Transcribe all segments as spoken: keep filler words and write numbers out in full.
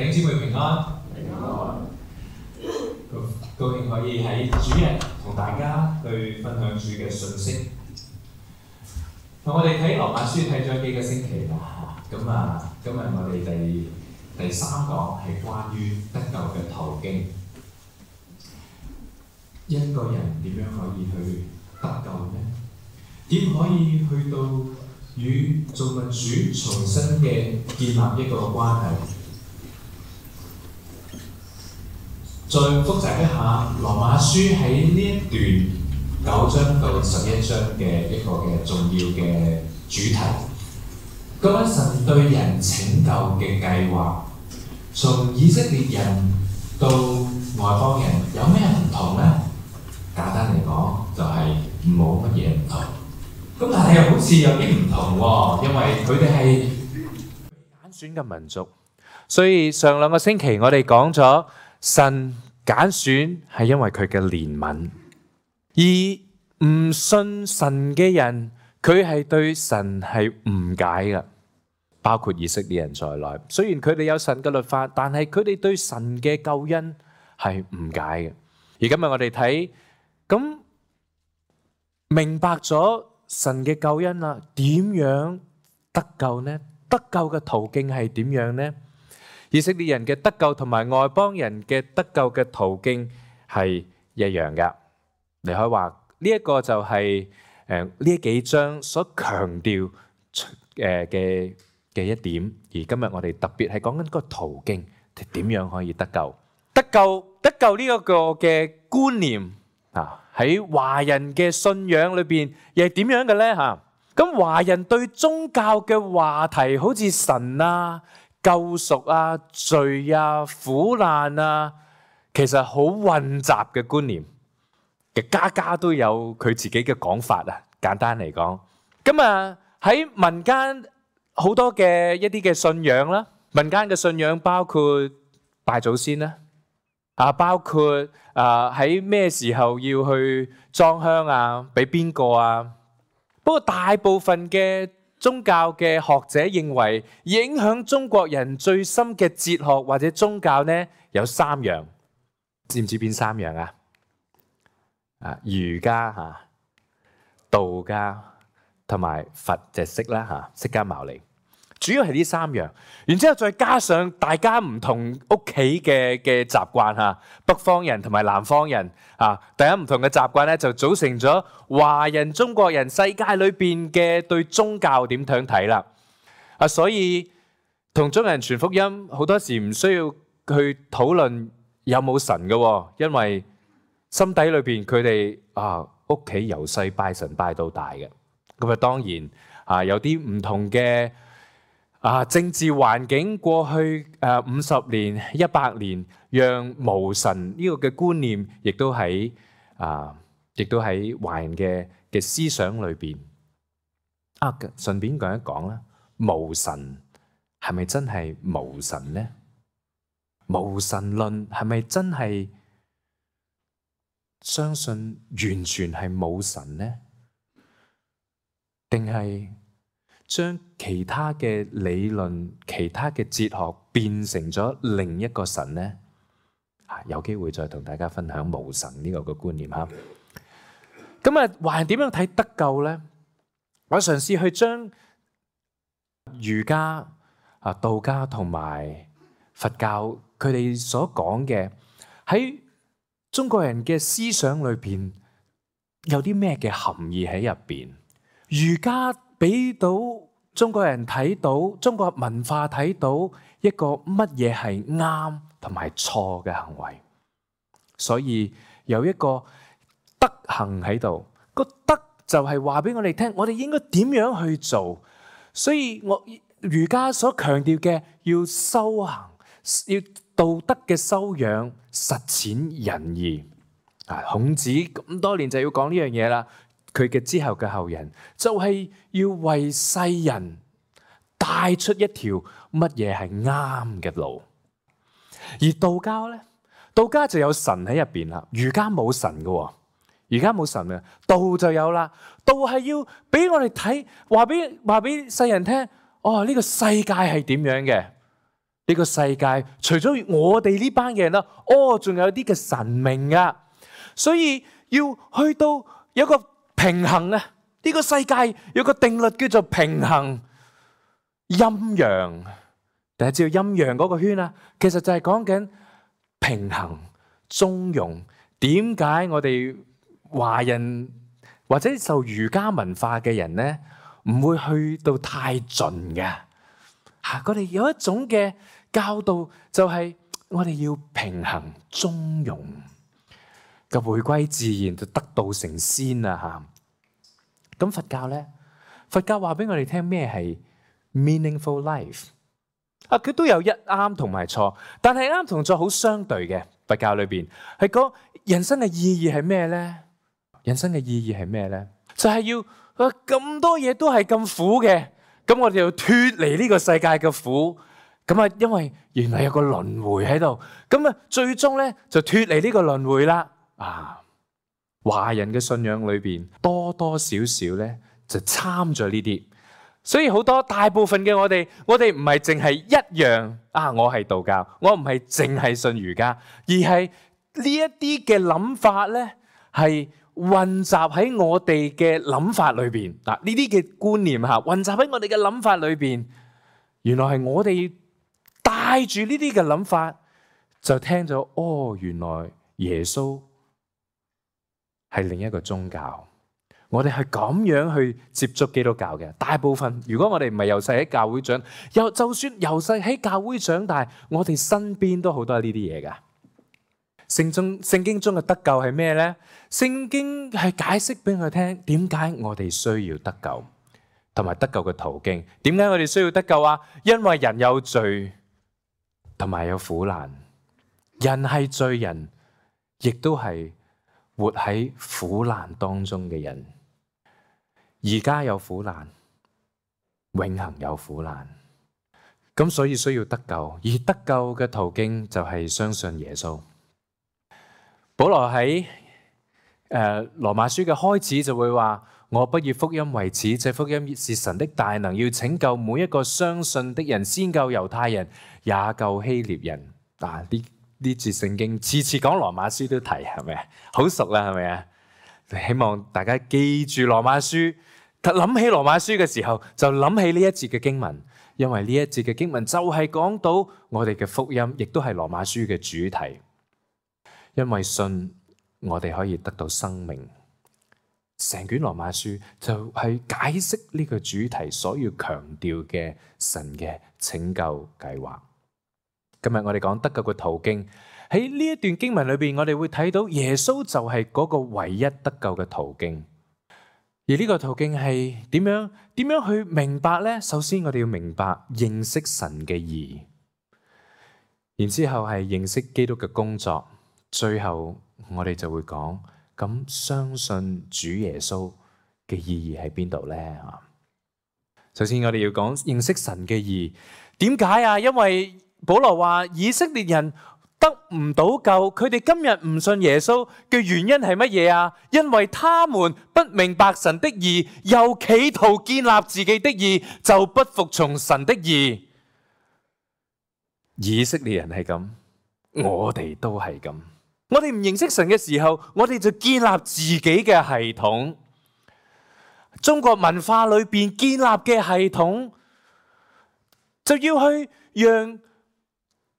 弟兄姊妹平安，平安。高高興可以喺主日同大家去分享主嘅信息。同我哋睇羅馬書睇咗幾個星期啦，咁啊，今日我哋第第三講係關於得救嘅途徑。一個人點樣可以去得救呢？點可以去到與造物主重新嘅建立一個關係？再複習一下羅馬書喺呢一段九章到十一章嘅一個嘅重要嘅主題。講緊神對人拯救嘅計劃，從以色列人到外邦人有咩唔同呢？簡單嚟講，就係冇乜嘢唔同。咁但係又好似有啲唔同喎，因為佢哋係揀選嘅民族。所以上兩個星期我哋講咗神揀選係因為佢嘅憐憫，而唔信神嘅人，佢係對神係誤解嘅，包括以色列人在內。雖然佢哋有神嘅律法，但係佢哋對神嘅救恩係誤解嘅。而今日我哋睇，咁明白咗神嘅救恩啦，點樣得救呢？得救嘅途徑係點樣呢？以色列人嘅得救同埋外邦人嘅得救嘅途徑係一樣噶。你可以話呢一個就係誒呢幾章所強調誒嘅嘅一點。而今日我哋特別係講緊個途徑，點樣可以得救？得救得救呢一個嘅觀念啊，喺華人嘅信仰裏邊又係點樣嘅咧？嚇，咁華人對宗教嘅話題，好似神啊、救贖啊、罪啊、苦難啊，其實好混雜嘅觀念，嘅家家都有佢自己嘅講法啊。簡單嚟講，咁啊喺民間好多嘅一啲嘅信仰啦，民間嘅信仰包括拜祖先啦，啊包括啊喺咩時候要去裝香啊，俾邊個啊？不過大部分嘅宗教嘅學者認為，影響中國人最深嘅哲學或者宗教呢，有三樣，知唔知邊三樣啊？啊，儒家嚇、道家同埋佛就釋啦嚇，釋迦牟尼，主要係呢三樣。然之後再加上大家唔同屋企嘅嘅習慣嚇，北方人同埋南方人啊，大家唔同嘅習慣咧，就組成咗華人、中國人世界裏邊嘅對宗教點樣睇啦。啊，所以同中人傳福音好多時唔需要去討論有冇神嘅，因為心底裏邊佢哋啊屋企由細拜神拜到大嘅。咁啊當然啊有啲唔同嘅啊政治環境，過去誒五十年、一百年，讓無神呢個嘅觀念，亦都喺啊，亦都喺華人嘅嘅思想裏邊。啊，順便講一講啦，無神係咪真係無神呢？無神論係咪真係相信完全係冇神呢？定係將其他嘅理論、其他嘅哲學變成咗另一個神呢？啊，有機會再同大家分享無神呢個嘅觀念嚇。咁啊，華人點樣睇得救呢？我嘗試去將儒家、啊道家同埋佛教佢哋所講嘅喺中國人嘅思想裏邊有啲咩嘅含義喺入邊？儒家俾到中國人睇到，中國文化睇到一個乜嘢係啱同埋錯嘅行為，所以有一個德行喺度。個德就係話俾我哋聽，我哋應該點樣去做。所以我儒家所強調嘅要修行，要道德嘅修養，實踐仁義。啊，孔子咁多年就要講呢樣嘢啦。佢嘅之後嘅後人就係要為世人帶出一條乜嘢係啱嘅路。而道教咧，道家就有神喺入邊啦，儒家冇神嘅，儒家冇神嘅，道就有啦。道係要俾我哋睇，話俾話俾世人聽，哦呢個世界係點樣嘅，呢個世界除咗我哋呢班嘅人啦，哦，仲有啲嘅神明啊，所以要去到有個平衡啊！呢個世界有個定律叫做平衡陰陽。大家知道陰陽嗰個圈啊，其實就係講緊平衡中庸。點解我哋華人或者受儒家文化嘅人咧，唔會去到太盡嘅？嚇，我哋有一種嘅教導，就係我哋要平衡中庸嘅，回歸自然就得道成仙啦嚇。咁佛教咧，佛教話俾我哋聽咩係 meaningful life 啊？佢都有一啱同埋錯，但係啱同錯好相對嘅。佛教裏邊係講人生嘅意義係咩咧？人生嘅意義係咩咧？就係要啊咁多嘢都係咁苦嘅，咁我哋要脫離呢個世界嘅苦。咁啊，因為原來有個輪迴喺度，咁啊，最終咧就脫離呢個輪迴啦。啊，華人嘅信仰裏邊多多少少咧就參咗呢啲，所以好多大部分嘅我哋，我哋唔係淨係一樣啊，我係道教，我唔係淨係信儒家，而係呢一啲嘅諗法咧係混雜喺我哋嘅諗法裏邊。嗱，呢啲嘅觀念嚇混雜喺我哋嘅諗法裏邊，原來係我哋帶住呢啲嘅諗法，就聽咗哦，原來耶穌係另一個宗教。我哋係咁樣去接觸基督教嘅。大部分如果我哋唔係由細喺教會長，又就算由細喺教會長大，我哋身邊都好多呢啲嘢噶。聖中聖經中嘅得救係咩咧？聖經係解釋俾我聽點解我哋需要得救，同埋得救嘅途徑。點解我哋需要得救啊？因為人有罪，同埋有苦難。人係罪人，亦都係活喺苦難當中嘅人。而家有苦難，永恆有苦難。咁所以需要得救，而得救嘅途徑就係相信耶穌。保羅喺誒羅馬書嘅開始就會話：我不以福音為恥，這福音是神的大能，要拯救每一個相信的人，先救猶太人，也救希臘人。嗱，呢呢節聖經次次講羅馬書都提，係咪啊？好熟啦，係咪啊？希望大家記住羅馬書，諗起羅馬書嘅時候就諗起呢一節嘅經文，因為呢一節嘅經文就係講到我哋嘅福音，亦都係羅馬書嘅主題。因為信，我哋可以得到生命。成卷羅馬書就係解釋呢個主題所要強調嘅神嘅拯救計劃。今日我哋講得救嘅途徑，喺呢一段經文裏邊，我哋會睇到耶穌就係嗰個唯一得救嘅途徑。而呢個途徑係點樣？點樣去明白呢？首先我哋要明白認識神嘅義，然之後係認識基督嘅工作。最後我哋就會講，咁相信主耶穌嘅意義喺邊度呢？首先我哋要講認識神嘅義，點解啊？因為保羅話以色列人得唔到救，佢哋今日唔信耶穌嘅原因係乜嘢啊？因為他們不明白神的義，又企圖建立自己的義，就不服從神的義。以色列人係咁，我哋都係咁。我哋唔認識神嘅時候，我哋就建立自己嘅系統。中國文化裏邊建立嘅系統，就要去讓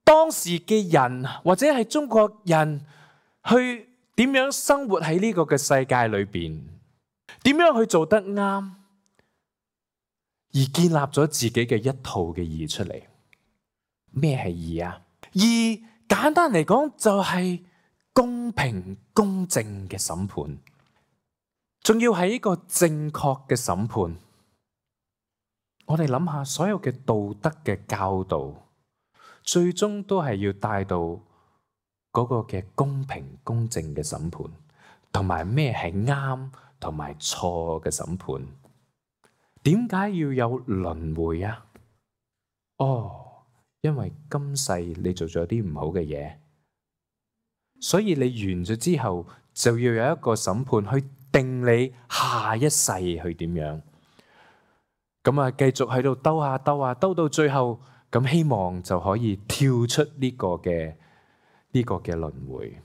當時嘅人或者係中國人去點樣生活喺呢個嘅世界裏邊，點樣去做得啱，而建立咗自己嘅一套嘅義出嚟。咩係義啊？義簡單嚟講就係公平公正嘅審判，仲要係一個正確嘅審判。我哋諗下，所有嘅道德嘅教導，最終都係要帶到嗰個嘅公平公正嘅審判，同埋咩係啱同埋錯嘅審判。點解要有輪迴啊？哦，因為今世你做咗啲唔好嘅嘢，所以你完咗之後就要有一個審判去定你下一世去點樣。咁啊，繼續喺度兜下兜下兜到最後，咁希望就可以跳出呢個嘅呢個嘅輪迴。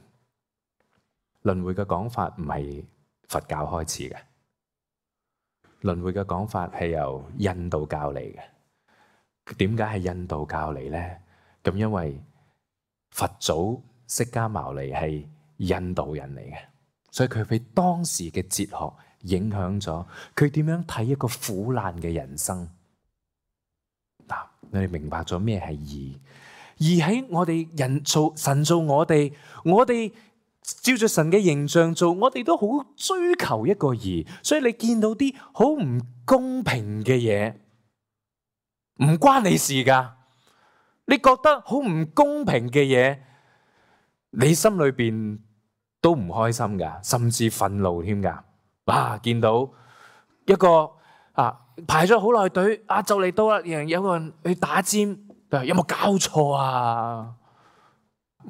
輪迴嘅講法唔係佛教開始嘅，輪迴嘅講法係由印度教嚟嘅。點解係印度教嚟呢？咁因為佛祖釋迦牟尼係印度人嚟嘅，所以佢俾當時嘅哲學影響咗佢點樣睇一個苦難嘅人生。嗱，你哋明白咗咩係義？義喺我哋人做神做我哋，我哋照住神嘅形象做，我哋都好追求一個義。所以你見到啲好唔公平嘅嘢，唔關你事噶。你覺得好唔公平嘅嘢，你心裏邊都唔開心噶，甚至憤怒添噶。哇！見到一個啊排咗好耐隊，啊就嚟到啦，有個人去打尖，有冇搞錯啊？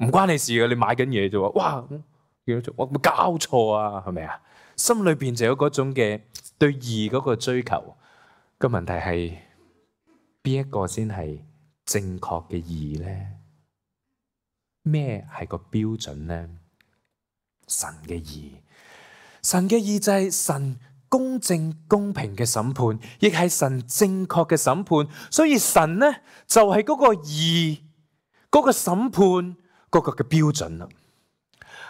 唔關你事嘅，你買緊嘢啫喎。哇！我冇搞錯啊？係咪啊？心裏邊就有嗰種嘅對義嗰個追求。個問題係邊一個先係正確嘅義呢？咩係個標準呢？神嘅義，神嘅義就係神公正公平嘅審判，亦係神正確嘅審判。所以神呢就係嗰個義，嗰個審判嗰個嘅標準啦。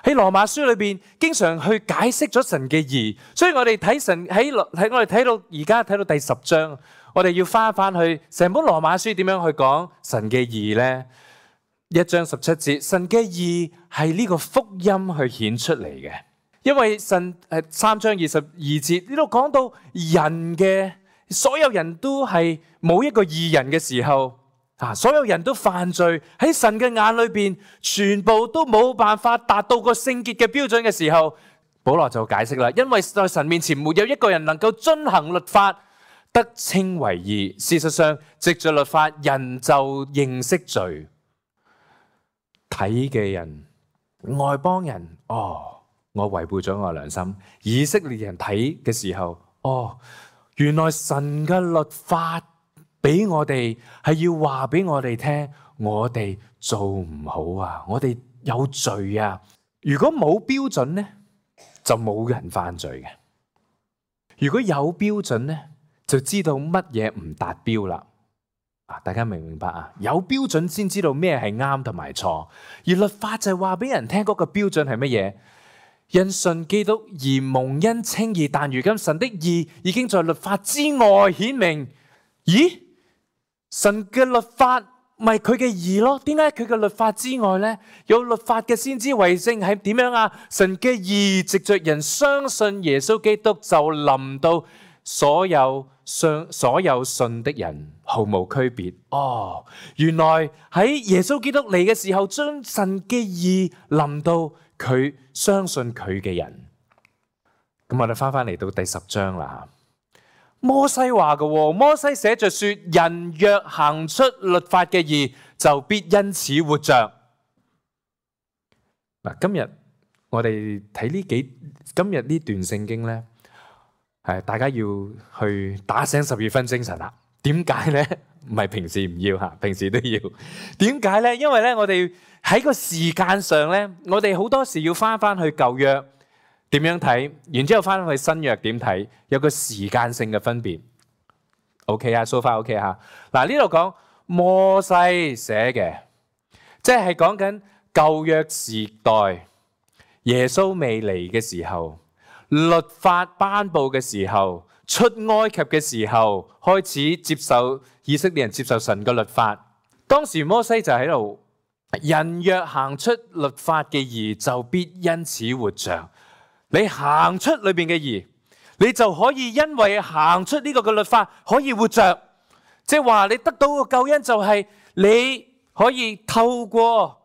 喺羅馬書裏邊，經常去解釋咗神嘅義。所以我哋睇神喺喺我哋睇到而家睇到第十章，我哋要翻翻去成本羅馬書點樣去講神嘅義呢？一章十七節，神嘅義係呢個福音去顯出嚟嘅。因為神誒三章二十二節呢度講到人嘅所有人都係冇一個義人嘅時候。啊！所有人都犯罪，喺神嘅眼裏邊，全部都冇辦法達到個聖潔嘅標準嘅時候，保羅就解釋啦。因為在神面前沒有一個人能夠遵行律法得稱為義。事實上，藉着律法，人就認識罪。睇嘅人，外邦人，哦，我違背咗我良心。以色列人睇嘅時候，哦，原來神嘅律法俾我哋係要話俾我哋聽，我哋做唔好啊，我哋有罪啊。如果冇標準呢，就冇人犯罪嘅。如果有標準呢，就知道乜嘢唔達標啦。啊，大家明唔明白啊？有標準先知道咩係啱同埋錯，而律法就係話俾人聽嗰個標準係乜嘢。因信基督而蒙恩稱義，但如今神的義已經在律法之外顯明。咦？神嘅律法咪佢嘅義咯？點解佢嘅律法之外呢？有律法嘅先知為證係點樣啊？神嘅義藉着人相信耶穌基督就臨到所有相所有信的人，毫無區別。哦，原來喺耶穌基督嚟嘅時候，將神嘅義臨到佢相信佢嘅人。咁我哋翻翻嚟到第十章啦。摩西話嘅，摩西寫着說：人若行出律法嘅義，就必因此活着。嗱，今日我哋睇呢幾今日呢段聖經咧，係大家要去打醒十二分精神啦。點解咧？唔係平時唔要吓，平時都要。點解咧？因為咧，我哋喺個時間上咧，我哋好多時要翻翻去舊約。點樣睇？然之後翻去新約點睇？有個時間性嘅分別。OK 啊，so far OK 吓。嗱，呢度講摩西寫嘅，即係講緊舊約時代，耶穌未嚟嘅時候，律法頒布嘅時候，出埃及嘅時候，開始接受以色列人接受神嘅律法。當時摩西就喺度，人若行出律法嘅義，就必因此活着。你行出裏邊嘅義，你就可以因為行出呢個嘅律法可以活着，即係話你得到個救恩就係你可以透過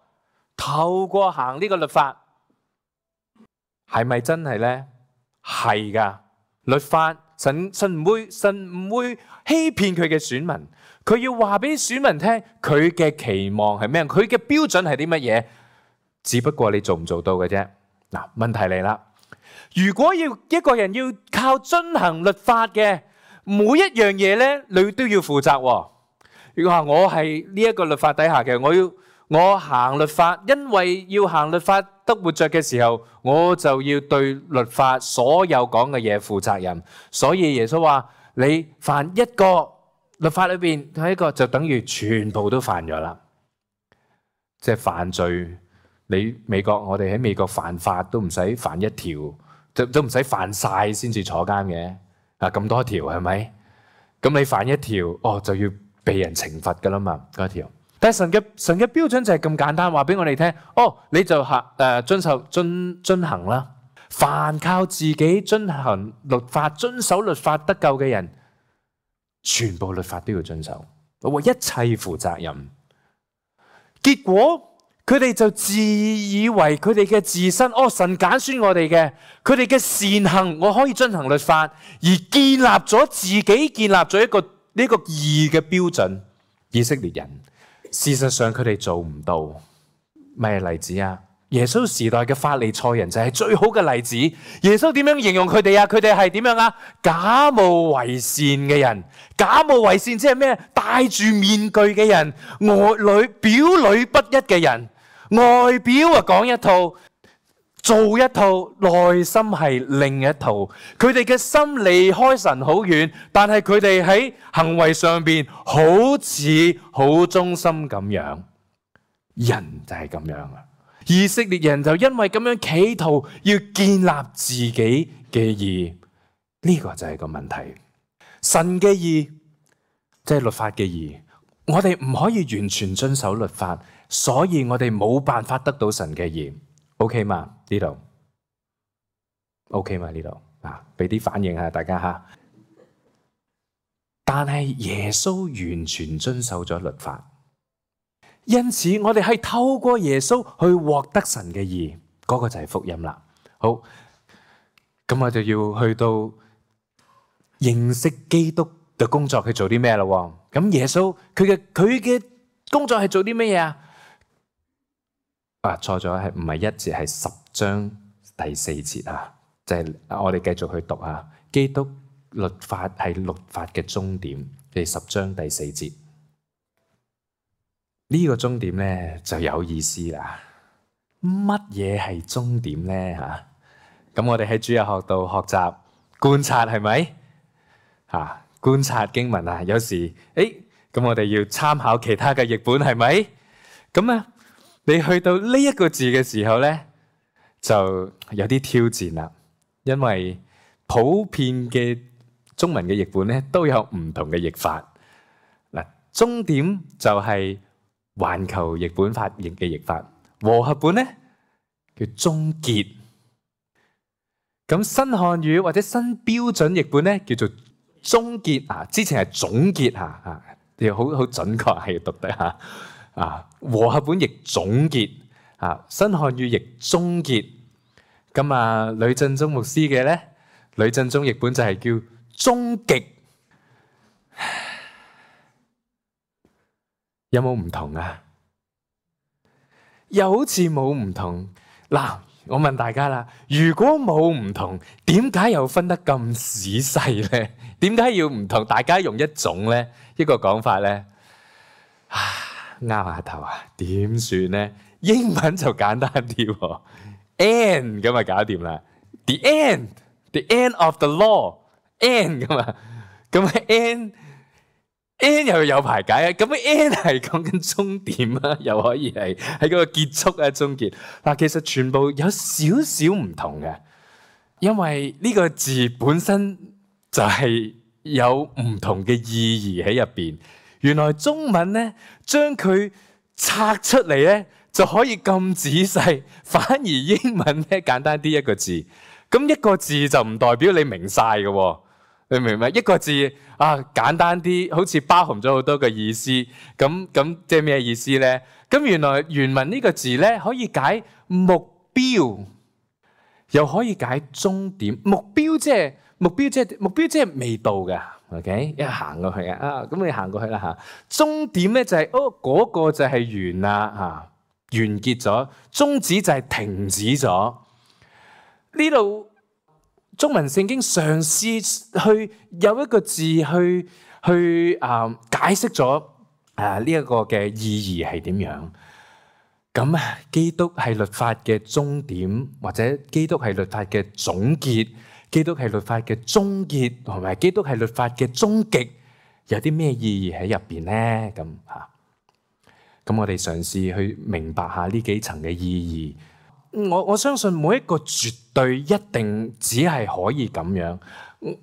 透過行呢個律法，係咪真係呢？係噶，律法神神唔會神唔會欺騙佢嘅選民，佢要話俾選民聽佢嘅期望係咩，佢嘅標準係啲乜嘢，只不過你做唔做到嘅啫。嗱，問題嚟啦。如果要一個人要靠遵行律法嘅每一樣嘢咧，你都要負責。如果話我係呢一個律法底下嘅，我要我行律法，因為要行律法得活着嘅時候，我就要對律法所有講嘅嘢負責任。所以耶穌話：你犯一個律法裏邊係一個，就等於全部都犯咗啦。即係犯罪，你美國我哋喺美國犯法都唔使犯一條，都都唔使犯晒先至坐監嘅。啊，咁多條係咪？咁你犯一條，哦就要被人懲罰噶啦嘛，嗰條。但係神嘅神嘅標準就係咁簡單，話俾我哋聽，哦你就行誒、呃、遵守遵遵行啦。凡靠自己遵行律法、遵守律法得救嘅人，全部律法都要遵守，為一切負責任。結果佢哋就自以為佢哋嘅自身，哦神揀選我哋嘅，佢哋嘅善行我可以遵行律法，而建立咗自己建立咗一個呢、這個義嘅標準。以色列人事實上佢哋做唔到。咩例子啊？耶穌時代嘅法利賽人就係最好嘅例子。耶穌點樣形容佢哋啊？佢哋係點樣啊？假冒為善嘅人。假冒為善即係咩？戴住面具嘅人，外裏表裏不一嘅人。外表啊講一套，做一套，內心係另一套。佢哋嘅心離開神好遠，但係佢哋喺行為上邊好似好忠心咁樣。人就係咁樣啊！以色列人就因為咁樣企圖要建立自己嘅義，呢個就係個問題。神嘅義即係律法嘅義，我哋唔可以完全遵守律法，所以我哋冇辦法得到神嘅義。OK 嘛？呢度 OK 嘛？呢度啊，俾啲反應下大家吓。但係耶穌完全遵守咗律法。因此，我哋係透過耶穌去獲得神嘅義，嗰個就係福音啦。好，咁我就要去到認識基督嘅工作，去做啲咩咯？咁耶穌佢嘅佢嘅工作係做啲咩嘢啊？啊，錯咗，係唔係一節，係十章第四節啊？就係我哋繼續去讀啊。基督律法係律法嘅終點，第十章第四節。呢個終點咧就有意思啦。乜嘢係終點咧？吓，咁我哋喺主日學度學習觀察，係咪？吓，觀察經文啊，有時誒，咁我哋要參考其他嘅譯本，係咪？咁啊，你去到呢一個字嘅時候咧，就有啲挑戰啦，因為普遍嘅中文嘅譯本咧都有唔同嘅譯法。嗱，終點就係環球譯本法譯嘅譯法，和合本咧叫終結。咁新漢語或者新標準譯本咧叫做終結啊，之前係總結吓吓，你好好準確係要讀得吓啊。和合本譯總結啊，新漢語譯終結。咁啊，呂振中牧師嘅咧，呂振中譯本就係叫終極。有冇唔同啊？又好似冇唔同。嗱，我問大家啦，如果冇唔同，點解又分得咁仔細咧？點解要唔同？大家用一種咧，一個講法咧，啊，拗下頭啊，點算咧？英文就簡單啲喎 ，end 咁啊搞掂啦。The end，the end of the law，end 咁啊，咁 end。N 又有排解啊！咁 N 係講緊終點啊，又可以係喺嗰個結束啊，終結嗱。其實全部有少少唔同嘅，因為呢個字本身就係有唔同嘅意義喺入邊。原來中文咧將佢拆出嚟咧就可以咁仔細，反而英文咧簡單啲一個字。咁一個字就唔代表你明晒嘅。你明唔明？一個字啊，簡單啲，好似包含咗好多嘅意思。咁咁即係咩意思咧？咁原來原文呢個字咧可以解目標，又可以解終點。目標即係目標，即係目標，即係未到嘅。OK，一行過去啊，啊咁你行過去啦嚇。終點咧就係哦嗰個就係完啦嚇，完結咗。終止就係停止咗。呢度。中文聖經嘗試去有一個字去去啊、呃、解釋咗啊呢一個嘅意義係點樣？咁啊，基督係律法嘅終點，或者基督係律法嘅總結，基督係律法嘅終結，同埋基督係律法嘅終極，有啲咩意義喺入邊咧？咁嚇，咁我哋嘗試去明白下呢幾層嘅意義。我我相信每一個絕對一定只係可以咁樣。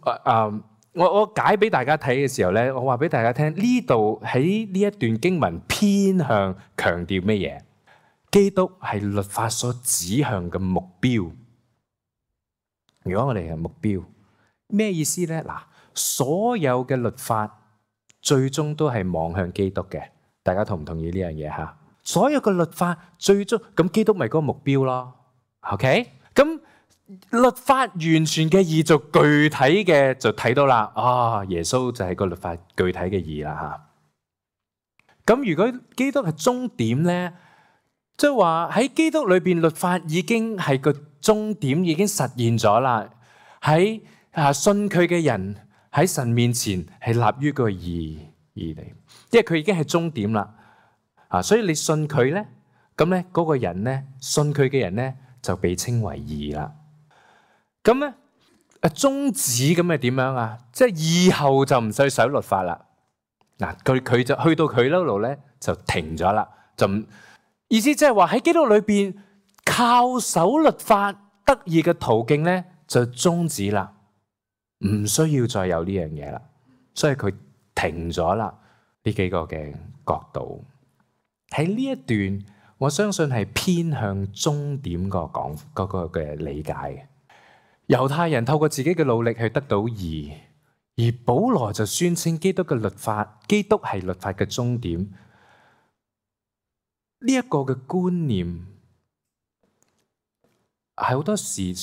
啊啊！我我解俾大家睇嘅時候咧，我話俾大家聽，呢度喺呢一段經文偏向強調咩嘢？基督係律法所指向嘅目標。如果我哋係目標，咩意思咧？嗱，所有嘅律法最終都係望向基督嘅。大家同唔同意呢樣嘢吓？所有嘅律法最終咁，基督咪嗰個目標咯。OK， 咁律法完全嘅義就具體嘅就睇到啦。啊，耶穌就係個律法具體嘅義啦吓。咁如果基督係終點咧？即係話喺基督裏邊，律法已經係個終點，已經實現咗啦。喺啊信佢嘅人喺神面前係立於個義義嚟，因為佢已經係終點啦。啊，所以你信佢咧，咁咧嗰個人咧，信佢嘅人咧就被稱為義啦。咁咧啊終止咁係點樣啊？即係以後就唔使守律法啦。嗱，佢佢就去到佢嗰度咧就停咗啦，就唔。意思即係話喺基督裏邊靠守律法得義嘅途徑咧就終止啦，唔需要再有呢樣嘢啦，所以佢停咗啦。呢幾個嘅角度喺呢一段，我相信係偏向終點個講嗰個嘅理解嘅。猶太人透過自己嘅努力去得到義，而保羅就宣稱基督嘅律法，基督係律法嘅終點。呢一個嘅觀念係好多時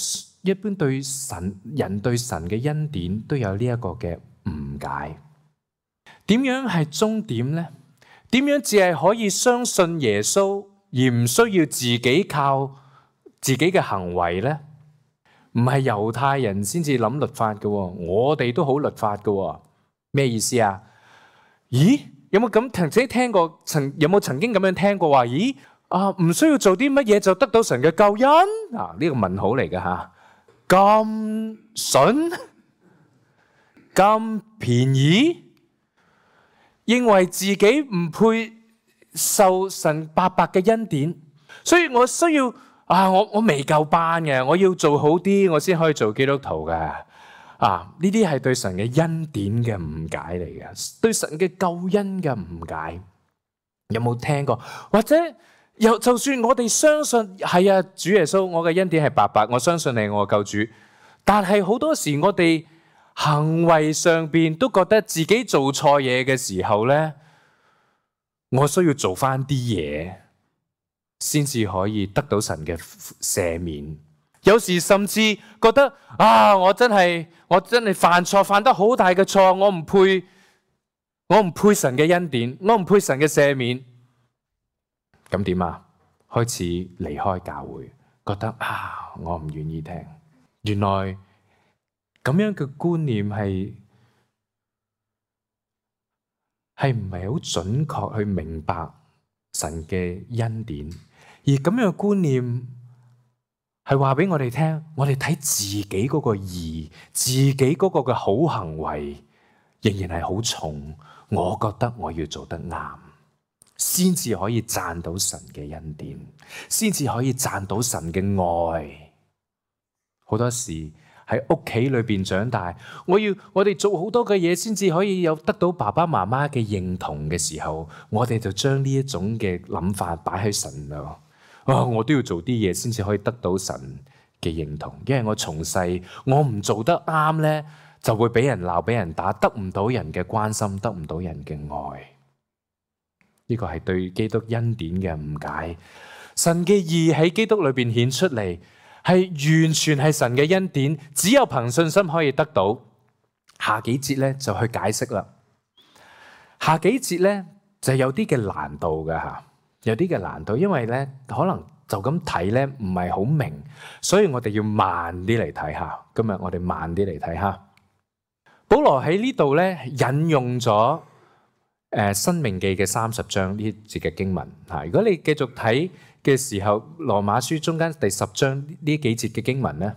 一般對神人對神嘅恩典都有呢一個嘅誤解。點樣係終點呢？點樣只係可以相信耶穌而唔需要自己靠自己嘅行為呢？唔係猶太人先至諗律法嘅，我哋都好律法嘅。咩意思啊？咦？有冇咁曾經聽過？曾有冇曾經咁樣聽過話？咦啊，唔需要做啲乜嘢就得到神嘅救恩啊？呢個問號嚟嘅吓，咁筍咁便宜，認為自己唔配受神白白嘅恩典，所以我需要啊，我我未夠班嘅，我要做好啲，我先可以做基督徒嘅。啊！呢啲係對神嘅恩典嘅誤解嚟嘅，對神嘅救恩嘅誤解。有冇聽過？或者又就算我哋相信係啊，主耶穌，我嘅恩典係白白，我相信你係我嘅救主。但係好多時我哋行為上邊都覺得自己做錯嘢嘅時候咧，我需要做翻啲嘢，先至可以得到神嘅赦免。有時甚至覺得啊，我真係我真係犯錯，犯得好大嘅錯，我唔配，我唔配神嘅恩典，我唔配神嘅赦免。咁點啊？開始離開教會，覺得啊，我唔願意聽。原來咁樣嘅觀念係係唔係好準確去明白神嘅恩典，而咁樣嘅觀念係話俾我哋聽，我哋睇自己嗰個義，自己嗰個嘅好行為，仍然係好重。我覺得我要做得啱，先至可以賺到神嘅恩典，先至可以賺到神嘅愛。好多時喺屋企裏邊長大，我要我哋做好多嘅嘢，先至可以有得到爸爸媽媽嘅認同嘅時候，我哋就將呢一種嘅諗法擺喺神度。啊！我都要做啲嘢先至可以得到神嘅認同，因為我從細我唔做得啱咧，就會俾人鬧、俾人打，得唔到人嘅關心，得唔到人嘅愛。呢個係對基督恩典嘅誤解。神嘅義喺基督裏邊顯出嚟，係完全係神嘅恩典，只有憑信心可以得到。下幾節咧就去解釋啦。下幾節咧就有啲嘅難度嘅吓。有啲嘅難度，因為咧可能就咁睇咧唔係好明，所以我哋要慢啲嚟睇下。今日我哋慢啲嚟睇下。保羅喺呢度咧引用咗誒申命記嘅三十章呢節嘅經文嚇。如果你繼續睇嘅時候，羅馬書中間第十章呢幾節嘅經文咧，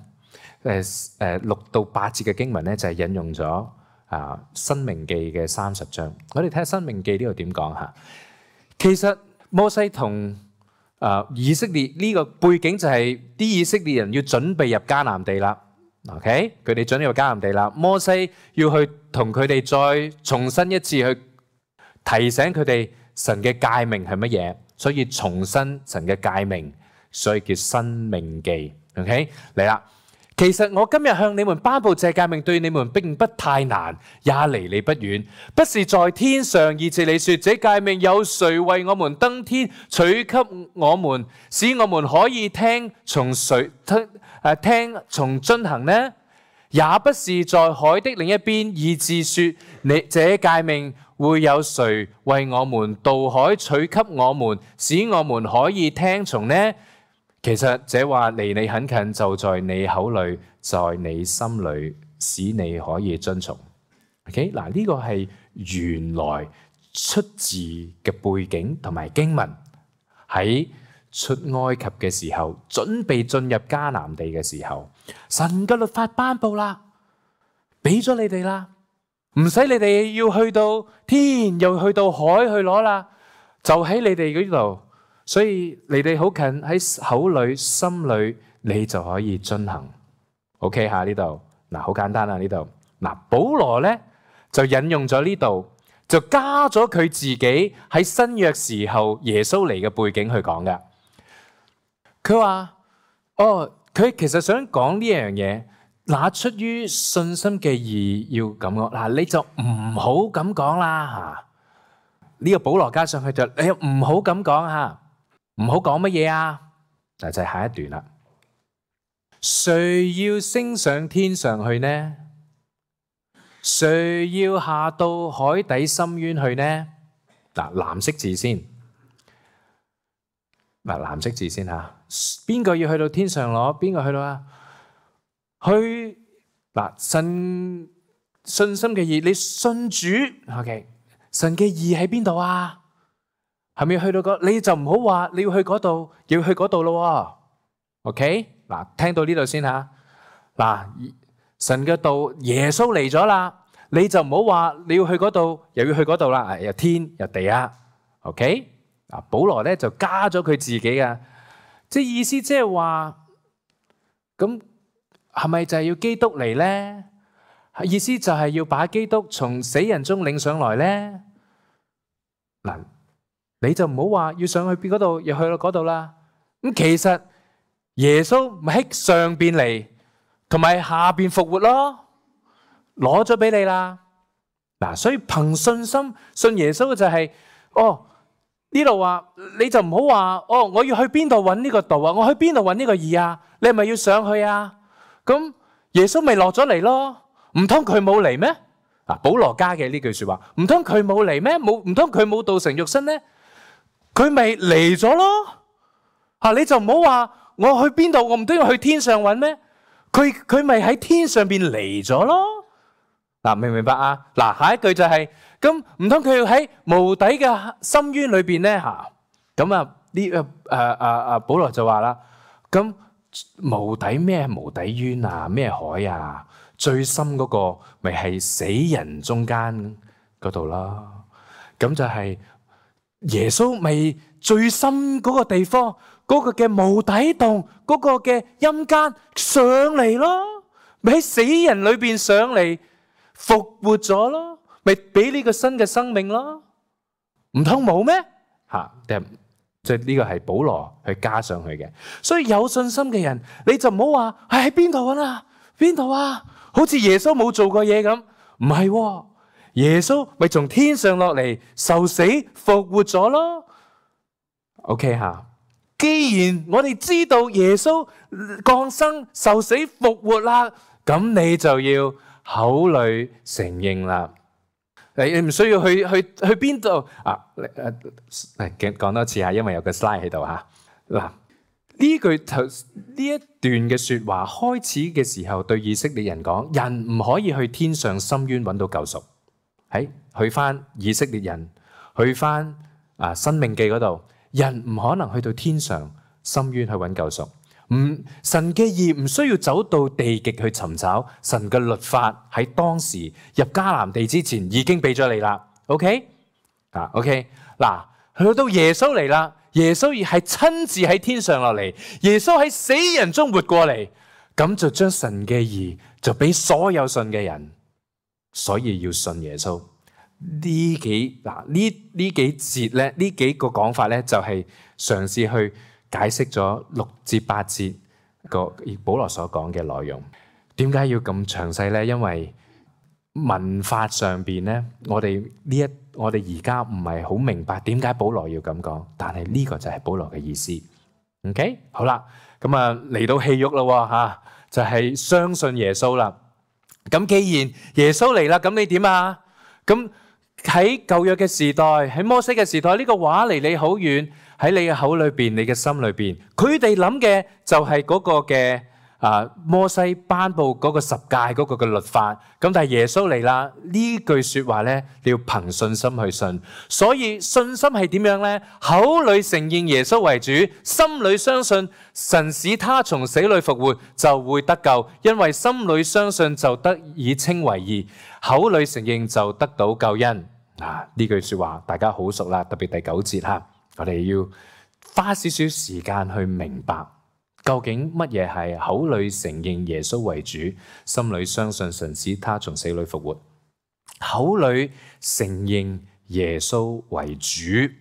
誒誒六到八節嘅經文咧就係引用咗啊申命記嘅三十章。我哋睇下申命記呢度點講嚇。其實摩西同啊以色列呢個背景就係啲以色列人要準備入迦南地啦。OK，佢哋準備入迦南地啦。摩西要去同佢哋再重新一次去提醒佢哋神嘅誡命係乜嘢，所以重申神嘅誡命，所以叫申命記。OK， 嚟啦。其實我今日向你們頒布這誡命，對你們並不太難，也離你不遠。不是在天上，以致你說這誡命有誰為我們登天取給我們，使我們可以聽從誰聽誒聽從遵行呢？也不是在海的另一邊，以致說你這誡命會有誰為我們渡海取給我們，使我們可以聽從呢？其實這話離你很近，就在你口裏，在你心裏，使你可以遵從。OK， 嗱呢個係原來出自嘅背景同埋經文，喺出埃及嘅時候，準備進入迦南地嘅時候，神嘅律法頒布啦，俾咗你哋啦，唔使你哋要去到天，又去到海去攞啦，就喺你哋嗰度。所以你哋好近，喺口裏心裏，你就可以遵行。OK 吓，呢度嗱好簡單啦，呢度嗱保羅咧就引用咗呢度，就加咗佢自己喺新約時候耶穌嚟嘅背景去講嘅。佢話哦，佢其實想講呢樣嘢，那出於信心嘅義要咁講嗱，你就唔好咁講啦吓。呢個保羅加上去就你唔好咁講吓。唔好講乜嘢啊？嗱就係下一段啦。誰要升上天上去呢？誰要下到海底深淵去呢？嗱藍色字先，嗱藍色字先吓。邊個要去到天上攞？邊個去到啊？去嗱神信心嘅義，你信主 ，OK？ 神嘅義喺邊度啊？係咪要去到嗰？你就唔好話你要去嗰度，要去嗰度咯。OK， 嗱，聽到呢度先吓。嗱，神嘅道耶穌嚟咗啦，你就唔好話你要去嗰度，又要去嗰度啦。又天又地啊。OK，嗱，保羅咧就加咗佢自己嘅，即係意思即係話，咁係咪就係要基督嚟咧？意思就係要把基督從死人中領上來咧。嗱。你就唔好話要上去邊嗰度，又去到嗰度啦。咁其實耶穌咪喺上邊嚟，同埋下邊復活咯，攞咗俾你啦。嗱，所以憑信心信耶穌嘅就係，哦呢度話你就唔好話，哦我要去邊度揾呢個道啊，我去邊度揾呢個義啊？你係咪要上去啊？咁耶穌咪落咗嚟咯？唔通佢冇嚟咩？嗱，保羅加嘅呢句說話，唔通佢冇嚟咩？冇唔通佢冇道成肉身咧？佢咪嚟咗咯？吓，你就唔好話我去邊度，我唔都要去天上揾咩？佢佢咪喺天上邊嚟咗咯？嗱，明唔明白啊？嗱，下一句就係咁，唔通佢要喺無底嘅深淵裏邊咧？吓，咁啊呢誒誒誒誒保羅就話啦，咁無底咩無底淵啊？咩海啊？最深嗰個咪係死人中間嗰度啦。咁就係。耶穌咪最深嗰個地方，嗰個嘅無底洞，嗰個嘅陰間上嚟咯，咪喺死人裏邊上嚟復活咗咯，咪俾呢個新嘅生命咯，唔通冇咩？吓，即係呢個係保羅去加上去嘅。所以有信心嘅人，你就唔好話係喺邊度啊？邊度啊？好似耶穌冇做過嘢咁，唔係喎。耶穌咪從天上落嚟受死復活咗咯 ？OK 吓，既然我哋知道耶穌降生受死復活啦，咁你就要口裏承認啦。你唔需要去去去邊度啊？誒誒，講多次吓，因為有個 slide 喺度吓。嗱，呢句頭呢一段嘅說話開始嘅時候，對以色列人講，人唔可以去天上深淵揾到救贖。喺去翻以色列人去翻啊申命記嗰度，人唔可能去到天上深淵去揾救贖。唔，神嘅義唔需要走到地極去尋找，神嘅律法喺當時入迦南地之前已經俾咗你啦。OK 啊 OK 嗱，去到耶穌嚟啦，耶穌係親自喺天上落嚟，耶穌喺死人中活過嚟，咁就將神嘅義就俾所有信嘅人，所以要信耶穌。呢幾嗱呢呢幾節咧，呢幾個講法咧，就係嘗試去解釋咗六至八節個保羅所講嘅內容。點解要咁詳細咧？因為文法上邊咧，我哋呢一我哋而家唔係好明白點解保羅要咁講，但係呢個就係保羅嘅意思。OK， 好啦，咁啊嚟到戲肉啦吓，就係相信耶穌啦。咁既然耶穌嚟啦，咁你點啊？咁喺舊約嘅時代，喺摩西嘅時代，呢個話離你好遠，喺你嘅口裏邊，你嘅心裏邊，佢哋諗嘅就係嗰個嘅啊摩西頒布嗰個十誡嗰個嘅律法。咁但係耶穌嚟啦，呢句說話咧，你要憑信心去信。所以信心係點樣咧？口裏承認耶穌為主，心裏相信神使他從死裏復活，就會得救。因為心裏相信就得以稱為義，口裏承認就得到救恩。啊，呢句說話大家好熟啦，特別第九節吓，我哋要花少少時間去明白究竟乜嘢係口裏承認耶穌為主，心裏相信神使他從死裏復活。口裏承認耶穌為主，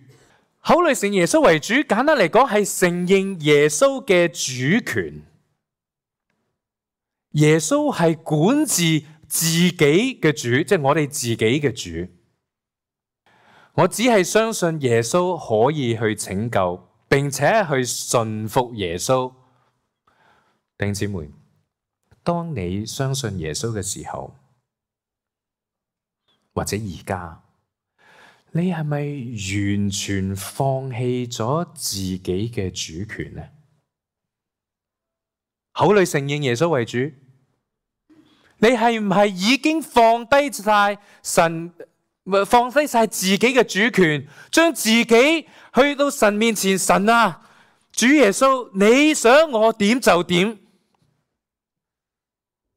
口裏承認耶穌為主，簡單嚟講係承認耶穌嘅主權。耶穌係管治自己嘅主，即係我哋自己嘅主。我只係相信耶穌可以去拯救，並且去順服耶穌。弟兄姊妹，當你相信耶穌嘅時候，或者而家，你係咪完全放棄咗自己嘅主權呢？口裏承認耶穌為主，你係唔係已經放低晒神？放低晒自己嘅主權，將自己去到神面前，神啊，主耶穌，你想我點就點。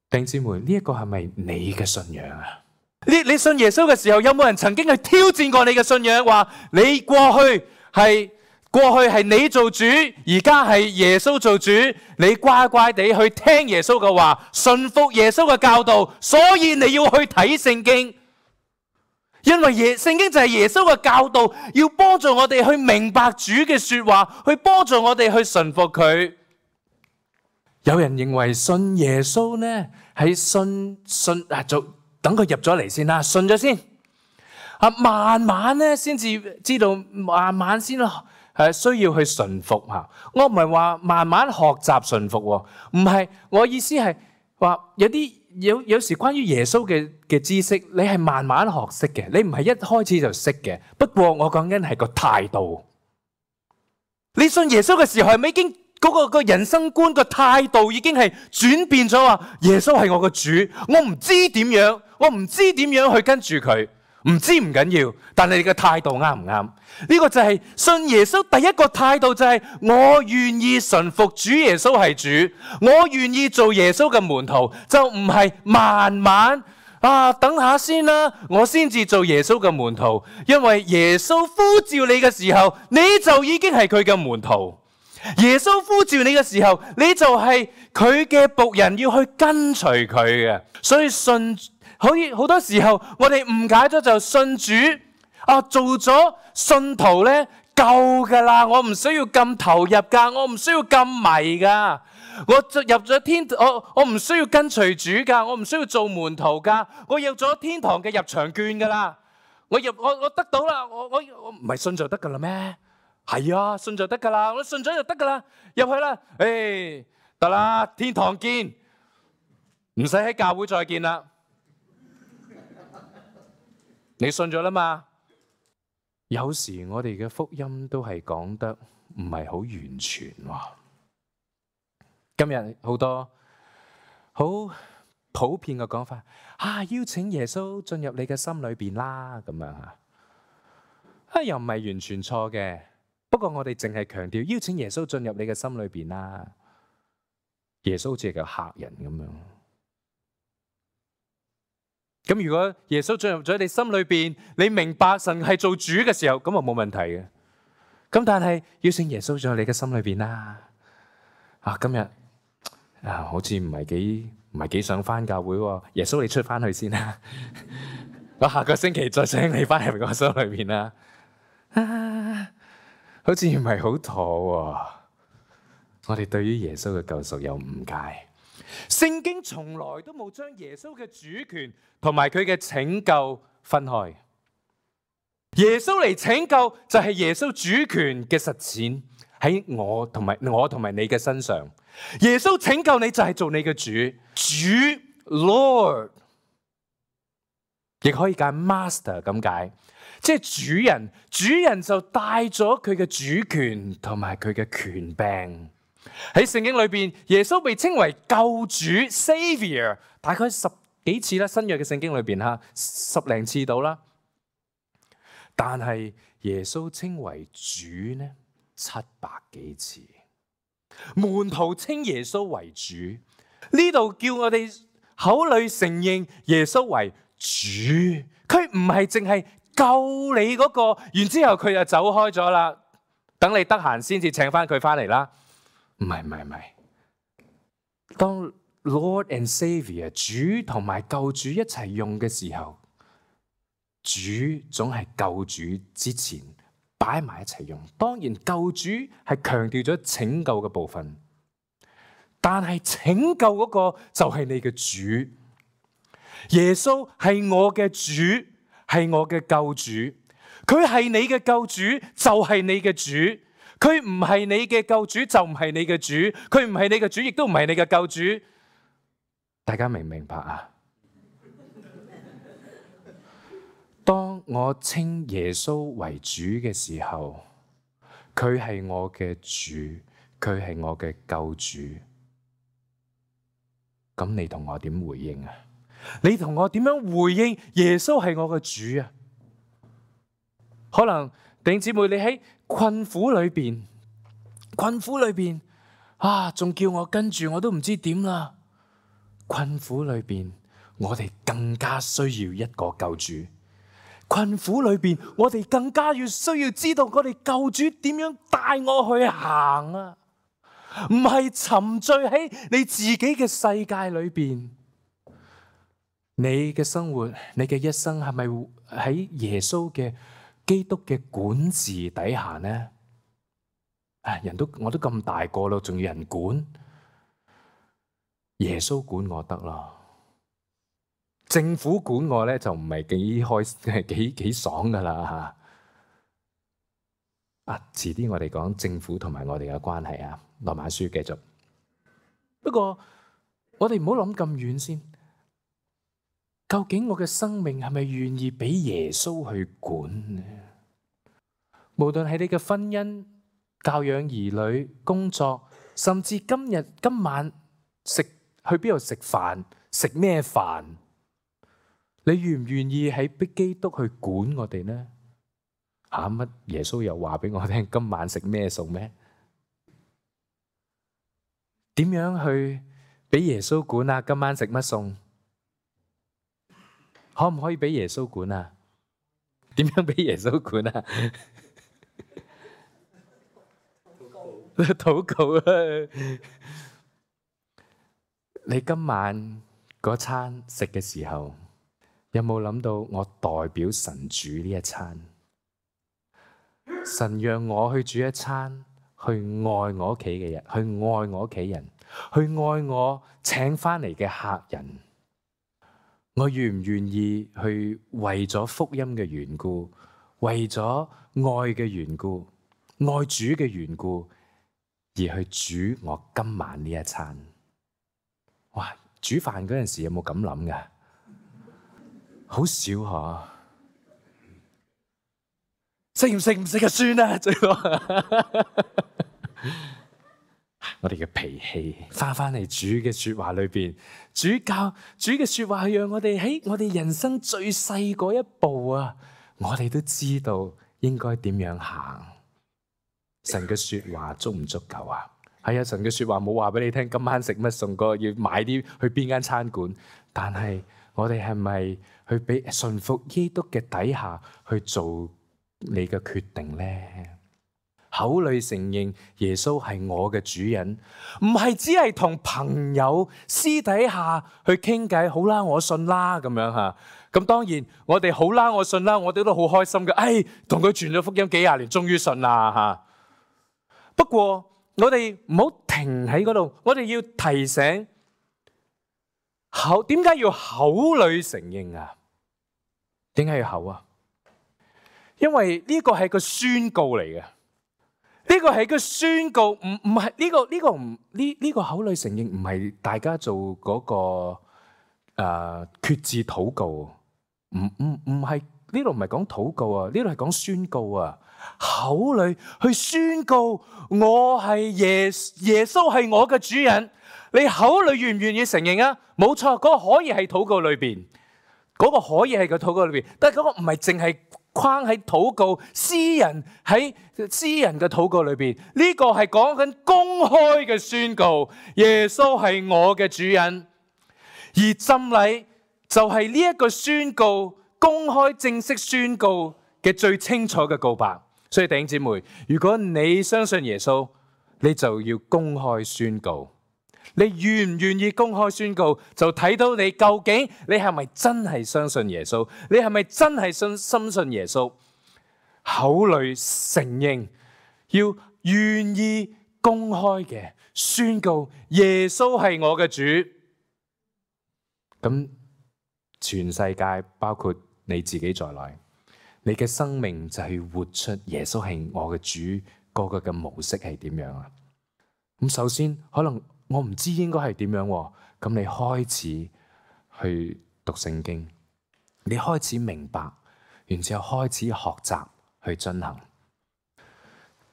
弟兄姊妹，呢一個係咪你嘅信仰啊？你你信耶穌嘅時候，有冇人曾經去挑戰過你嘅信仰？話你過去係過去係你做主，而家係耶穌做主，你乖乖地去聽耶穌嘅話，順服耶穌嘅教導，所以你要去睇聖經。因為耶聖經就係耶穌嘅教導，要幫助我哋去明白主嘅說話，去幫助我哋去順服佢。有人認為信耶穌呢係信信啊，就等佢入咗嚟先啦，信咗先啊，慢慢咧先至知道，慢慢先係需要去順服吓。我唔係話慢慢學習順服，唔係，我意思係話有啲。有有時關於耶穌嘅嘅知識，你係慢慢學識嘅，你唔係一開始就識嘅。不過我講緊係個態度。你信耶穌嘅時候，係咪已經嗰個個人生觀個態度已經係轉變咗？話耶穌係我個主，我唔知點樣，我唔知點樣去跟住佢，唔知唔緊要，但係你嘅態度啱唔啱？呢個就係信耶穌第一個態度，就係我願意順服主耶穌係主，我願意做耶穌嘅門徒，就唔係慢慢啊等下先啦，我先至做耶穌嘅門徒。因為耶穌呼召你嘅時候，你就已經係佢嘅門徒。耶穌呼召你嘅時候，你就係佢嘅僕人，要去跟隨佢嘅。所以信可以好多時候我哋誤解咗，就信主啊，做咗信徒咧夠噶啦，我唔需要咁投入噶，我唔需要咁迷噶，我入咗天，我我唔需要跟隨主噶，我唔需要做門徒噶，我有咗天堂嘅入場券噶啦，我入我我得到啦，我我我唔係信就得噶啦咩？係啊，信就得噶啦，我信咗就得噶啦，入去啦，誒得啦，天堂見，唔使喺教會再見啦，你信咗啦嘛？有時我哋嘅福音都係講得唔係好完全喎。今日好多好普遍嘅講法，啊，邀請耶穌進入你嘅心裏邊啦，咁樣啊，啊，又唔係完全錯嘅。不過我哋淨係強調邀請耶穌進入你嘅心裏邊啦。耶穌好似係個客人咁樣。咁如果耶穌進入咗你心裏邊，你明白神係做主嘅時候，咁啊冇問題嘅。咁但係邀請耶穌進入你嘅心裏邊啦。啊，今日啊，好似唔係幾唔係幾想返教會喎。耶穌你出返去先啦。我下個星期再請你返入我心裏邊啦。啊，好似唔係好妥喎。我哋對於耶穌嘅救贖有誤解。聖經從來都冇將耶穌嘅主權同埋佢嘅拯救分開。耶穌嚟拯救就係耶穌主權嘅實踐喺我同埋我同埋你嘅身上。耶穌拯救你就係做你嘅主，主 Lord， 亦可以解 Master 咁解，即係主人。主人就帶咗佢嘅主權同埋佢嘅權柄。喺聖經裏邊，耶穌被稱為救主 Savior， 大概十幾次啦，新約嘅聖經裏邊吓，十零次到啦。但係耶穌稱為主呢，七百幾次。門徒稱耶穌為主，呢度叫我哋口裏承認耶穌為主，佢唔係淨係救你嗰個，然之後佢就走開咗啦，等你得閒先至請翻佢翻嚟啦。唔係唔係唔係，當 Lord and Savior 主同埋救主一齊用嘅時候，主總係救主之前擺埋一齊用。當然救主係強調咗拯救嘅部分，但係拯救嗰個就係你嘅主。耶穌係我嘅主，係我嘅救主，佢係你嘅救主就係你嘅主。佢唔係你嘅救主就唔係你嘅主，佢唔係你嘅主亦都唔係你嘅救主。大家明唔明白啊？當我稱耶穌為主嘅時候，佢係我嘅主，佢係我嘅救主。咁你同我點回應啊？你同我點樣回應耶穌係我嘅主啊？可能弟兄姊妹，你喺困苦裏邊，困苦裏邊啊，仲叫我跟住，我都唔知點啦。困苦裏邊，我哋更加需要一個救主。困苦裏邊，我哋更加要需要知道我哋救主點樣帶我去行啊！唔係沉醉喺你自己嘅世界裏邊。你嘅生活，你嘅一生係咪喺耶穌嘅基督嘅管治底下呢？啊，人都我都咁大個咯，仲要人管？耶穌管我得啦。政府管我咧就唔係幾開幾幾爽噶啦吓。啊，遲啲我哋講政府同埋我哋嘅關係啊。羅馬書繼續。不過我哋唔好諗咁遠先。究竟我嘅生命係咪願意俾耶穌去管呢？無論係你嘅婚姻、教養兒女、工作，甚至今日今晚食去邊度食飯，食咩飯？你願唔願意喺逼基督去管我哋呢？吓，乜耶穌又話俾我聽今晚食咩餸咩？點樣去俾耶穌管啊？今晚食乜餸？可唔可以俾耶穌管啊？點樣俾耶穌管啊？禱告啊！你今晚嗰餐食嘅時候，有冇諗到我代表神煮呢一餐？神讓我去煮一餐，去愛我屋企嘅人，去愛我屋企人，去愛我請翻嚟嘅客人。我願唔願意去為咗福音嘅緣故，為咗愛嘅緣故，愛主嘅緣故，而去煮我今晚呢一餐？哇！煮飯嗰陣時有冇咁諗㗎？好少嗬。食唔食唔食就算啦，最多。我哋嘅脾氣翻翻嚟主嘅說話裏邊，主教主嘅說話係讓我哋喺我哋人生最細嗰一步啊，我哋都知道應該點樣行？神嘅說話足唔足夠啊？係啊，神嘅說話冇話俾你聽，今晚食乜餸個，要買啲去邊間餐館。但係我哋係咪去俾順服基督嘅底下去做你嘅決定呢？口裏承認耶穌係我嘅主人，唔係只係同朋友私底下去傾偈。好啦，我信啦咁樣吓。咁當然我哋好啦，我信啦，我哋都好開心嘅。哎，同佢傳咗福音幾廿年，終於信啦吓。不過我哋唔好停喺嗰度，我哋要提醒口，點解要口裏承認啊？點解要口啊？因為呢個係個宣告嚟嘅，呢個係個宣告，唔唔係呢個呢個唔呢呢個口裏承認唔係大家做嗰個誒決志禱告，唔唔唔係呢度唔係講禱告啊，呢度係講宣告啊。口裏去宣告我係耶耶穌係我嘅主人，你口裏願唔願意承認啊？冇錯，嗰個可以係禱告裏邊，嗰個可以係個禱告裏邊，但係嗰個唔係淨係框喺禱告私人喺私人嘅禱告裏邊，呢個係講緊公開嘅宣告，耶穌係我嘅主人，而浸禮就係呢一個宣告，公開正式宣告嘅最清楚嘅告白。所以弟兄姊妹，如果你相信耶穌，你就要公開宣告。你願唔願意公開宣告，就睇到你究竟你係咪真係相信耶穌？你係咪真係信深信耶穌？口裏承認，要願意公開嘅宣告耶穌係我嘅主。咁全世界包括你自己在內，你嘅生命就係活出耶穌係我嘅主嗰個嘅模式係點樣啊？咁首先可能我唔知應該係點樣，咁你開始去讀聖經，你開始明白，然之後開始學習去進行。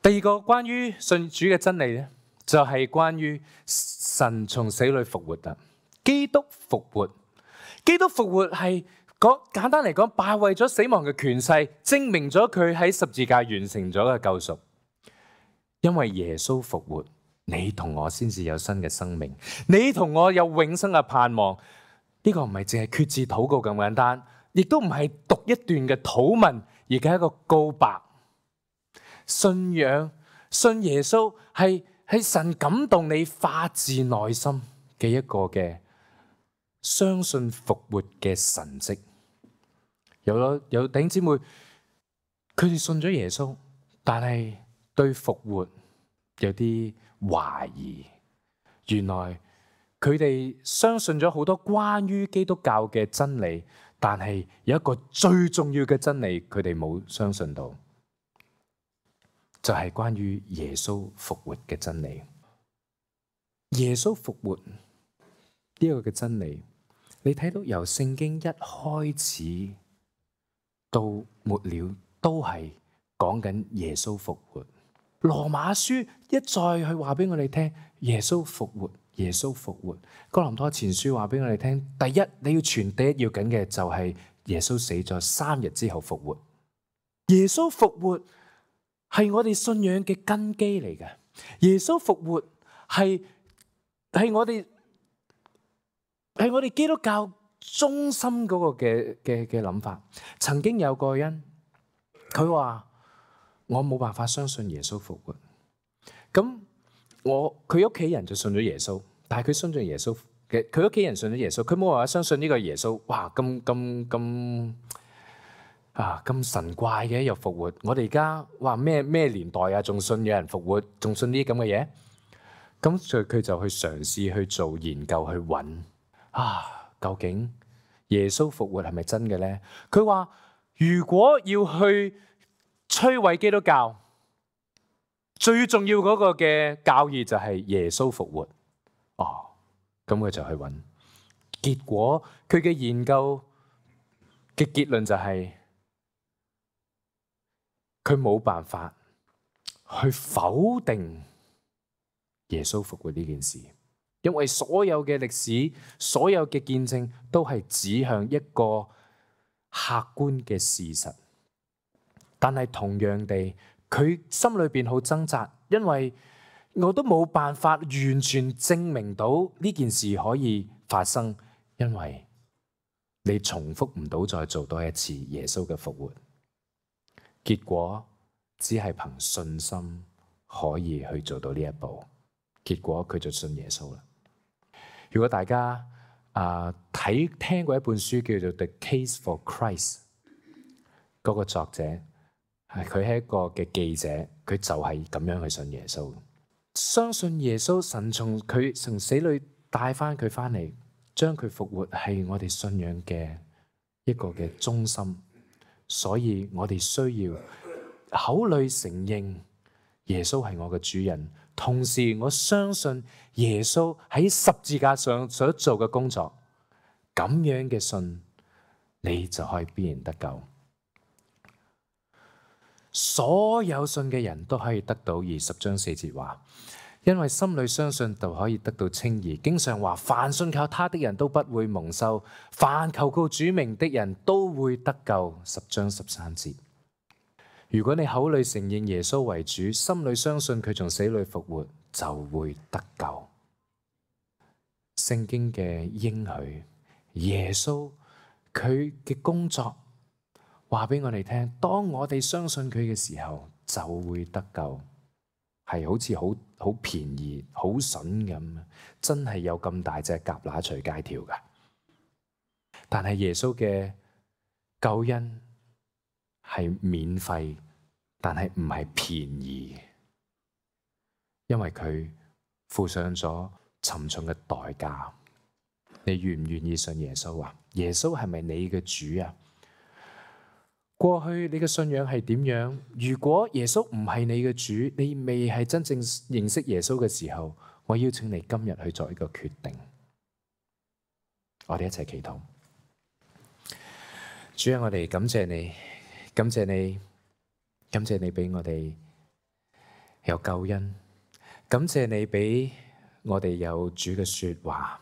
第二個關於信主嘅真理咧，就係關於神從死裏復活啊！基督復活，基督復活係講簡單嚟講，敗壞咗死亡嘅權勢，證明咗佢喺十字架完成咗嘅救贖。因為耶穌復活，你同我先至有新嘅生命，你同我有永生嘅盼望。呢個唔係淨係決志禱告咁簡單，亦都唔係讀一段嘅禱文，而係一個告白。信仰信耶穌係係神感動你發自內心嘅一個嘅相信復活嘅神蹟。有咗有弟兄姊妹，佢哋信咗耶穌，但係對復活有啲懷疑。原來佢哋相信咗好多關於基督教嘅真理，但係有一個最重要嘅真理，佢哋冇相信到，就係關於耶穌復活嘅真理。耶穌復活呢個嘅真理，你睇到由聖經一開始到末了，都係講緊耶穌復活。羅馬書一再去話俾我哋聽，耶穌復活，耶穌復活。哥林多前書話俾我哋聽，第一你要傳第一要緊嘅就係耶穌死咗三日之後復活。耶穌復活係我哋信仰嘅根基嚟嘅。耶穌復活係係我哋係我哋基督教中心嗰個嘅嘅嘅諗法。曾經有個人佢話，我冇辦法相信耶穌復活。咁我佢屋企人就信咗耶穌，但係佢信咗耶穌嘅，佢屋企人信咗耶穌，佢冇辦法相信呢個耶穌。哇，咁咁咁啊咁神怪嘅又復活。我哋而家話咩咩年代啊，仲信有人復活，仲信呢啲咁嘅嘢。咁所以佢就去嘗試去做研究去揾啊，究竟耶穌復活係咪真嘅咧？佢話如果要去摧毀基督教，最重要嗰個嘅教義就係耶穌復活。哦，咁佢就去揾，結果佢嘅研究嘅結論就係佢冇辦法去否定耶穌復活呢件事，因為所有嘅歷史、所有嘅見證都係指向一個客觀嘅事實。但係同樣地，佢心裏邊好掙扎，因為我都冇辦法完全證明到呢件事可以發生，因為你重複唔到再做多一次耶穌嘅復活。結果只係憑信心可以去做到呢一步。結果佢就信耶穌啦。如果大家啊睇、呃、聽過一本書叫做《The Case for Christ》，嗰個作者係佢係一個嘅記者，佢就係咁樣去信耶穌，相信耶穌，神從佢從死裏帶翻佢翻嚟，將佢復活係我哋信仰嘅一個嘅中心。所以我哋需要口裏承認耶穌係我嘅主人，同時我相信耶穌喺十字架上所做嘅工作，咁樣嘅信你就可以必然得救。所有信嘅人都可以得到，二十章四節話，因為心裏相信就可以得到稱義。經上話，凡信靠他的人都不會蒙羞，凡求告主名的人都會得救。十章十三節。如果你口裏承認耶穌為主，心裏相信佢從死裏復活，就會得救。聖經嘅應許，耶穌佢嘅工作話俾我哋聽，當我哋相信佢嘅時候，就會得救。係好似好好便宜、好筍咁，真係有咁大隻蛤乸隨街跳噶。但係耶穌嘅救恩係免費，但係唔係便宜，因為佢付上咗沉重嘅代價。你願唔願意信耶穌啊？耶穌係咪你嘅主啊？過去你嘅信仰係點樣？如果耶穌唔係你嘅主，你未係真正認識耶穌嘅時候，我邀請你今日去做一個決定。我哋一齊祈禱。主啊，我哋感謝你，感謝你，感謝你俾我哋有救恩，感謝你俾我哋有主嘅說話，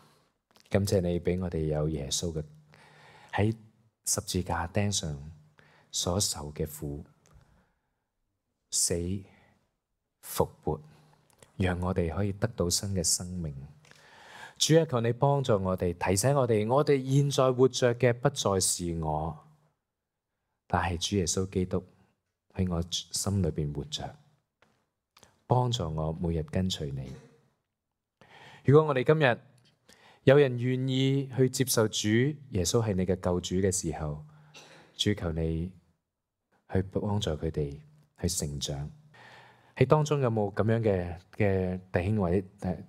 感謝你俾我哋有耶穌嘅喺十字架釘上所受嘅苦、死、復活，讓我哋可以得到新嘅生命。主啊，求你幫助我哋，提醒我哋，我哋現在活着嘅不再是我，但係主耶穌基督喺我心裏邊活着，幫助我每日跟隨你。如果我哋今日有人願意去接受主耶穌係你嘅救主嘅時候，主求你去幫助佢哋去成長。喺當中有冇咁樣嘅嘅弟兄或者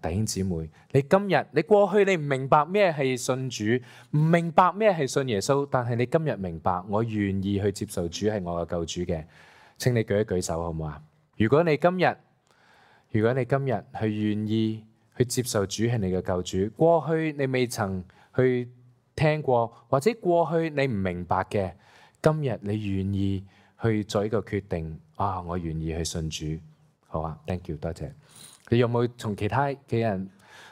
弟兄姊妹？你今日你過去你唔明白咩係信主，唔明白咩係信耶穌，但係你今日明白，我願意去接受主係我嘅救主嘅，請你舉一舉手好唔好啊？如果你今日如果你今日係願意去接受主係你嘅救主，過去你未曾去聽過，或者過去你唔明白嘅，今日你願意去做一個決定啊！我願意去信主，好啊 ，thank you， 多謝。你有冇從其他嘅人？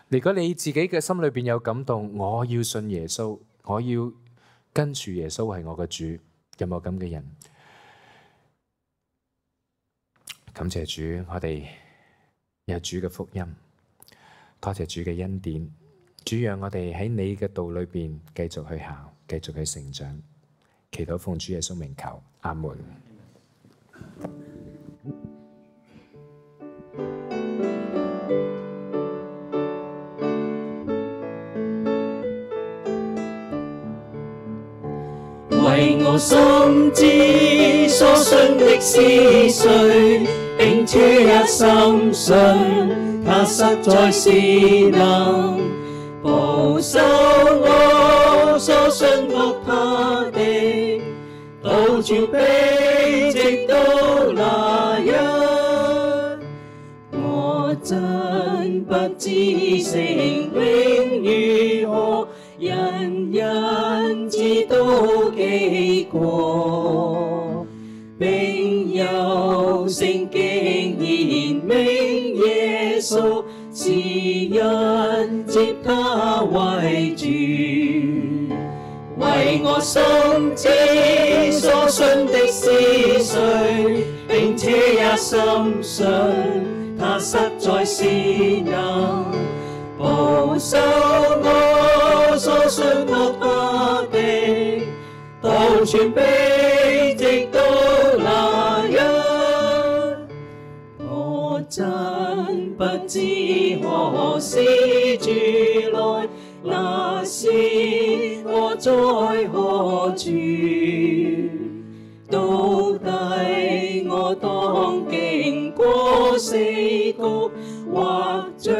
如果你自己嘅心裏邊有感動，我要信耶穌，我要跟住耶穌係我嘅主，有冇咁嘅人？感謝主，我哋有主嘅福音，多謝主嘅恩典，主讓我哋喺你嘅道裏邊繼續去行，繼續去成長。祈禱奉主耶穌名求，阿門。為我心知所信的是誰，並處一心信，他實在是能保守我所信服他的，到處悲直到那日，我真不知生命如何，人人知道幾過，並有聖經言明耶穌是人接他為主，為為我心知所信的是誰，並且也深信他實在是能保守我所信託他的，到全備直到那日。我真不知何時主來，那時我在何處？到底我當經過死谷，或將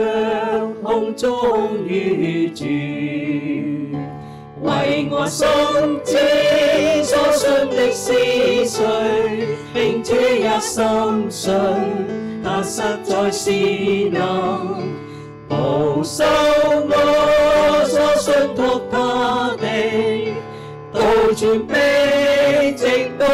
空中遇住？為我心知所信的是誰，並且也深信他實在是能保守我所信託他的，到全備直到